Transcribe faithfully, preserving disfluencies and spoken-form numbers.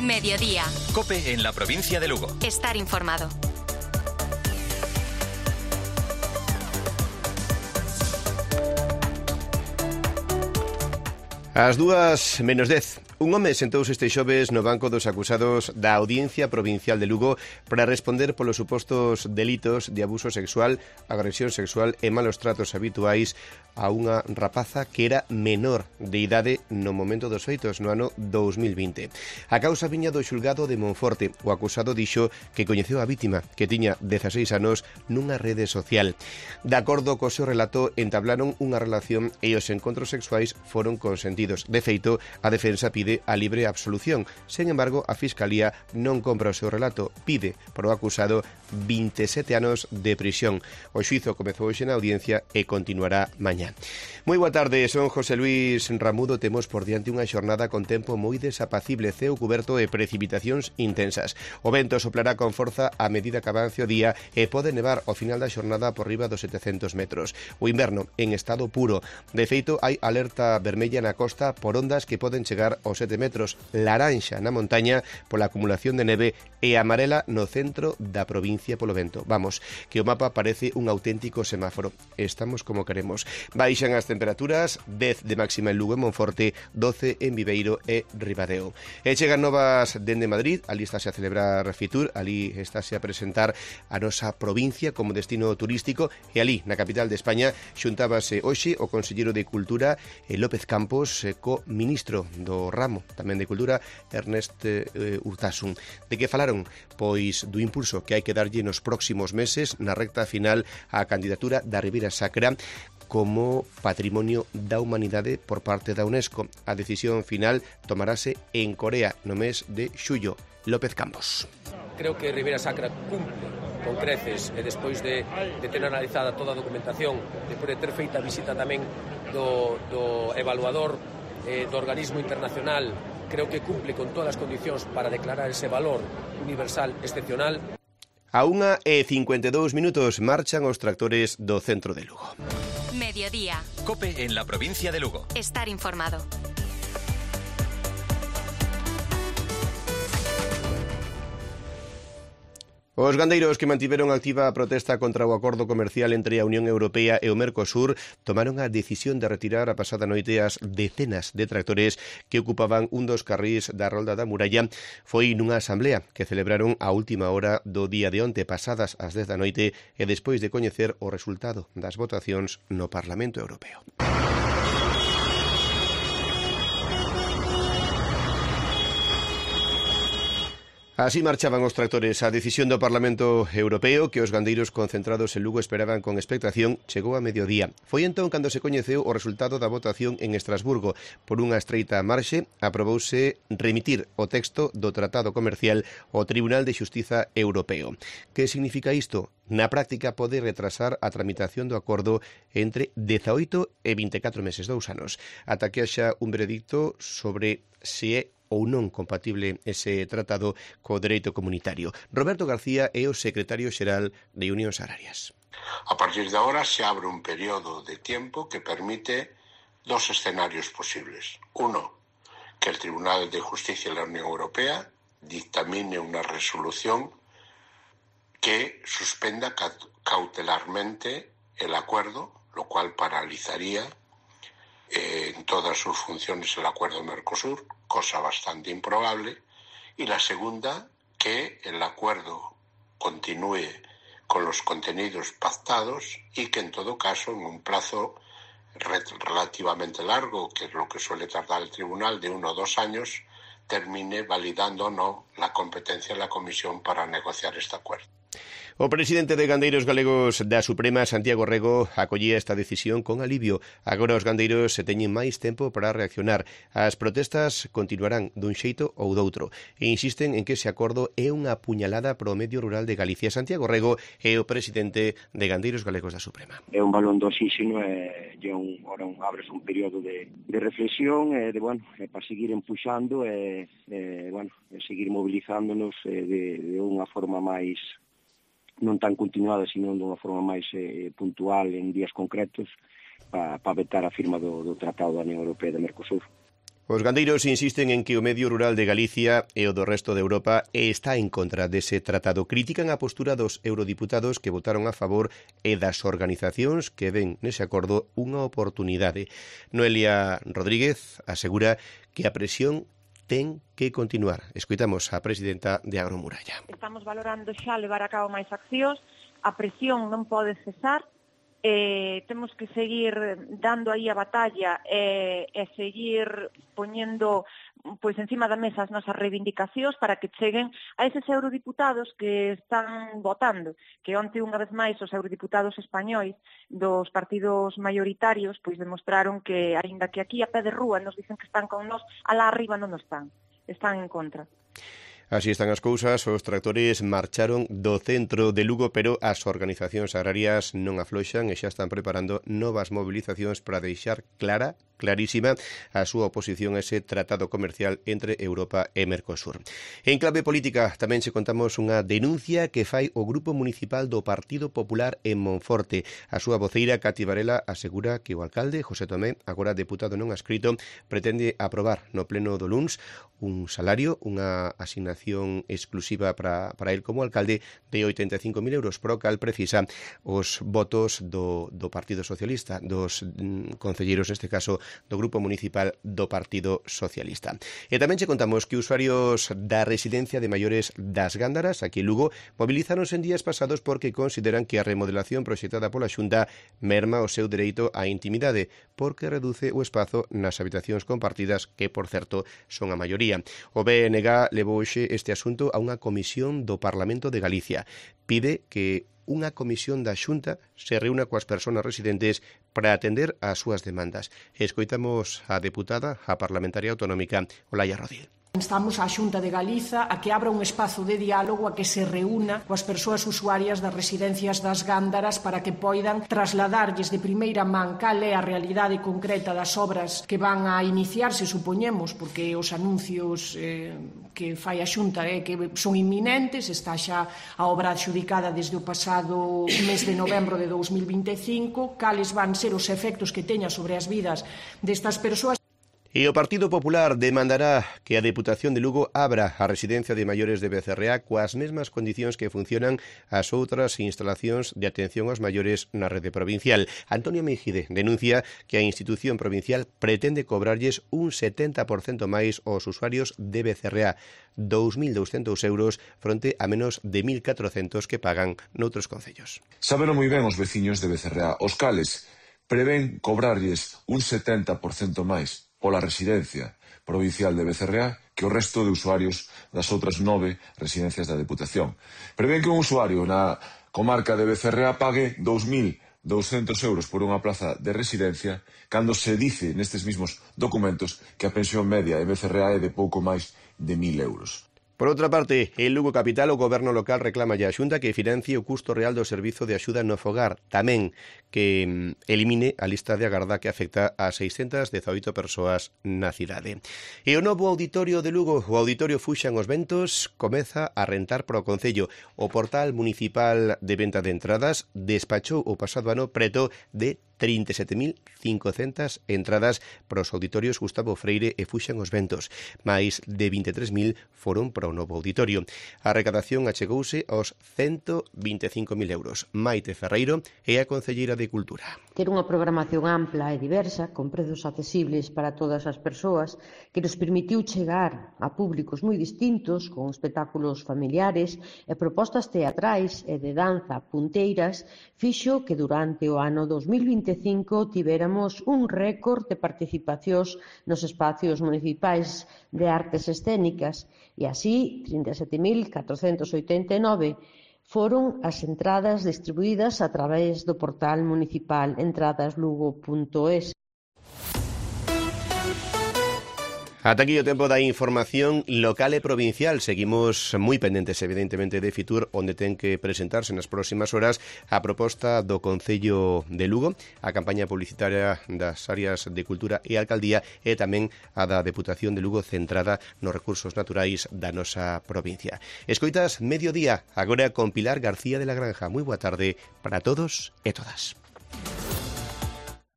Mediodía. COPE en la provincia de Lugo. Estar informado. As dúas menos dez. Un home sentouse este xoves no banco dos acusados da Audiencia Provincial de Lugo para responder polos supostos delitos de abuso sexual, agresión sexual e malos tratos habituais a unha rapaza que era menor de idade no momento dos feitos, no ano dous mil vinte. A causa viña do xulgado de Monforte. O acusado dixo que coñeceu a vítima, que tiña dezaseis anos, nunha rede social. De acordo co seu relato, entablaron unha relación e os encontros sexuais foron consentidos. De feito, a defensa pide a libre absolución. Sen embargo, a Fiscalía non compra o seu relato. Pide para o acusado vinte e sete anos de prisión. O xuízo comezou hoxe na audiencia e continuará mañá. Moi boa tarde, son José Luis Ramudo. Temos por diante unha xornada con tempo moi desapacible, ceo cuberto e precipitacións intensas. O vento soplará con forza a medida que avance o día e pode nevar ao final da xornada por riba dos setecentos metros. O inverno en estado puro. De feito, hai alerta vermella na costa por ondas que poden chegar aos sete metros, laranxa na montaña pola acumulación de neve e amarela no centro da provincia polo vento. Vamos, que o mapa parece un auténtico semáforo. Estamos como queremos. Baixan as temperaturas, dez de máxima en Lugo e Monforte, doce en Viveiro e Ribadeo. E chegan novas dende Madrid, ali estáse a celebrar Fitur, ali estáse a presentar a nosa provincia como destino turístico e ali, na capital de España, xuntábase hoxe o conselleiro de Cultura, López Campos, co ministro do ramo, tamén de Cultura, Ernest eh, Urtasun. De que falaron? Pois do impulso que hai que darlle nos próximos meses na recta final á candidatura da Ribeira Sacra como Patrimonio da Humanidade por parte da UNESCO. A decisión final tomarase en Corea no mes de xullo. López Campos. Creo que Ribeira Sacra cumple con creces e despois de, de ter analizada toda a documentación, despois de ter feita a visita tamén do, do evaluador eh, do organismo internacional, creo que cumple con todas as condicións para declarar ese valor universal excepcional. A unha e cincuenta e dous minutos marchan os tractores do centro de Lugo. Mediodía. COPE en la provincia de Lugo. Estar informado. Os gandeiros que mantiveron activa a protesta contra o acordo comercial entre a Unión Europea e o Mercosur tomaron a decisión de retirar a pasada noite as decenas de tractores que ocupaban un dos carrís da Rolda da Muralla. Foi nunha asamblea que celebraron a última hora do día de onte, pasadas as dez da noite, e despois de coñecer o resultado das votacións no Parlamento Europeo. Así marchaban os tractores. A decisión do Parlamento Europeo, que os gandeiros concentrados en Lugo esperaban con expectación, chegou a mediodía. Foi entón cando se coñeceu o resultado da votación en Estrasburgo. Por unha estreita marxe, aprobouse remitir o texto do Tratado Comercial ao Tribunal de Xustiza Europeo. Que significa isto? Na práctica pode retrasar a tramitación do acordo entre dezaoito e vinte e catro meses, dous anos, ata que haxa un veredicto sobre se é ou non compatible ese tratado co dereito comunitario. Roberto García é o secretario xeral de Unións Agrarias. A partir de ahora se abre un periodo de tiempo que permite dos escenarios posibles. Uno, que el Tribunal de Justicia de la Unión Europea dictamine una resolución que suspenda cautelarmente el acuerdo, lo cual paralizaría eh, en todas sus funciones el acuerdo Mercosur, cosa bastante improbable, y la segunda, que el acuerdo continúe con los contenidos pactados y que en todo caso en un plazo relativamente largo, que es lo que suele tardar el tribunal, de uno o dos años, termine validando o no la competencia de la Comisión para negociar este acuerdo. O presidente de Gandeiros Galegos da Suprema, Santiago Rego, acollía esta decisión con alivio. Agora os gandeiros se teñen máis tempo para reaccionar. As protestas continuarán dun xeito ou doutro e insisten en que ese acordo é unha puñalada para o medio rural de Galicia. Santiago Rego é o presidente de Gandeiros Galegos da Suprema. É un balón do oxígeno e é un, ora un, abres un período de, de reflexión e de, bueno, é para seguir empuxando e, e, bueno, e seguir movilizándonos e, de, de unha forma máis non tan continuada, sino de unha forma máis eh, puntual en días concretos para pa vetar a firma do, do Tratado da Unión Europea de Mercosur. Os gandeiros insisten en que o medio rural de Galicia e o do resto de Europa está en contra dese tratado. Critican a postura dos eurodiputados que votaron a favor e das organizacións que ven nese acordo unha oportunidade. Noelia Rodríguez asegura que a presión ten que continuar. Escoitamos a presidenta de Agromuralla. Estamos valorando xa levar a cabo máis accións, a presión non pode cesar, Eh, temos que seguir dando aí a batalla e, e seguir poñendo pois encima da mesa as nosas reivindicacións para que cheguen a eses eurodiputados que están votando, que onte unha vez máis os eurodiputados españois dos partidos maioritarios pois demostraron que, aínda que aquí a pé de rúa nos dicen que están con nós, alá arriba non están, están en contra. Así están as cousas, os tractores marcharon do centro de Lugo, pero as organizacións agrarias non afloxan e xa están preparando novas movilizacións para deixar clara, clarísima, a súa oposición a ese tratado comercial entre Europa e Mercosur. En clave política tamén se contamos unha denuncia que fai o Grupo Municipal do Partido Popular en Monforte. A súa voceira, Cati Varela, asegura que o alcalde, José Tomé, agora deputado non adscrito, pretende aprobar no pleno do luns un salario, unha asignación exclusiva para, para el como alcalde de oitenta e cinco mil euros, pro cal precisa os votos do, do Partido Socialista, dos mm, concelleiros, neste caso, do Grupo Municipal do Partido Socialista. E tamén che contamos que usuarios da residencia de maiores das Gándaras, aquí en Lugo, movilizáronse en días pasados porque consideran que a remodelación proxectada pola Xunta merma o seu dereito á intimidade, porque reduce o espazo nas habitacións compartidas, que, por certo, son a maioría. O B N G levou hoxe este asunto a unha comisión do Parlamento de Galicia. Pide que unha comisión da Xunta se reúna coas persoas residentes para atender ás súas demandas. Escoitamos a deputada, a parlamentaria autonómica, Olaya Rodil. Instamos á Xunta de Galiza a que abra un espazo de diálogo, a que se reúna coas persoas usuarias das residencias das Gándaras para que poidan trasladarlles de primeira man cal é a realidade concreta das obras que van a iniciarse, supoñemos, porque os anuncios eh, que fai a Xunta é eh, que son inminentes, está xa a obra adxudicada desde o pasado mes de novembro de dous mil vinte e cinco, cales van ser os efectos que teña sobre as vidas destas persoas. E o Partido Popular demandará que a Deputación de Lugo abra a residencia de maiores de Becerreá coas mesmas condicións que funcionan as outras instalacións de atención aos maiores na rede provincial. Antonio Meijide denuncia que a institución provincial pretende cobrarlles un setenta por cento máis aos usuarios de Becerreá, dous mil douscentos euros fronte a menos de mil catrocentos que pagan noutros concellos. Saberon moi ben os veciños de Becerreá, os cales prevén cobrarlles un setenta por cento máis pola residencia provincial de Becerreá que o resto de usuarios das outras nove residencias da Deputación. Prevén que un usuario na comarca de Becerreá pague dous mil douscentos euros por unha plaza de residencia cando se dice nestes mismos documentos que a pensión media en Becerreá é de pouco máis de mil euros. Por outra parte, en Lugo Capital o Goberno local reclama a Xunta que financie o custo real do servizo de axuda no fogar, tamén que elimine a lista de agarda que afecta a seiscentas dezaoito persoas na cidade. E o novo auditorio de Lugo, o Auditorio Fuxan os Ventos, comeza a rentar para o Concello. O portal municipal de venta de entradas despachou o pasado ano preto de trinta e sete mil cincocentas entradas para os auditorios Gustavo Freire e Fuxan os Ventos, máis de vinte e tres mil foron para o novo auditorio. A recadación achegouse aos ciento vinte e cinco mil euros. Maite Ferreiro é a concelleira de Cultura. Ter unha programación ampla e diversa, con prezos accesibles para todas as persoas, que nos permitiu chegar a públicos moi distintos, con espectáculos familiares e propostas teatrais e de danza punteiras, fixo que durante o ano dos mil vinte e cinco tivéramos un récord de participacións nos espacios municipais de artes escénicas e así trinta e sete mil catrocentos oitenta e nove foron as entradas distribuídas a través do portal municipal entradas lugo punto es. Ata aquí o tempo da información local e provincial. Seguimos moi pendentes, evidentemente, de Fitur, onde ten que presentarse nas próximas horas a proposta do Concello de Lugo, a campaña publicitaria das áreas de Cultura e Alcaldía e tamén a da Deputación de Lugo centrada nos recursos naturais da nosa provincia. Escoitas Mediodía, agora con Pilar García de la Granja. Moi boa tarde para todos e todas.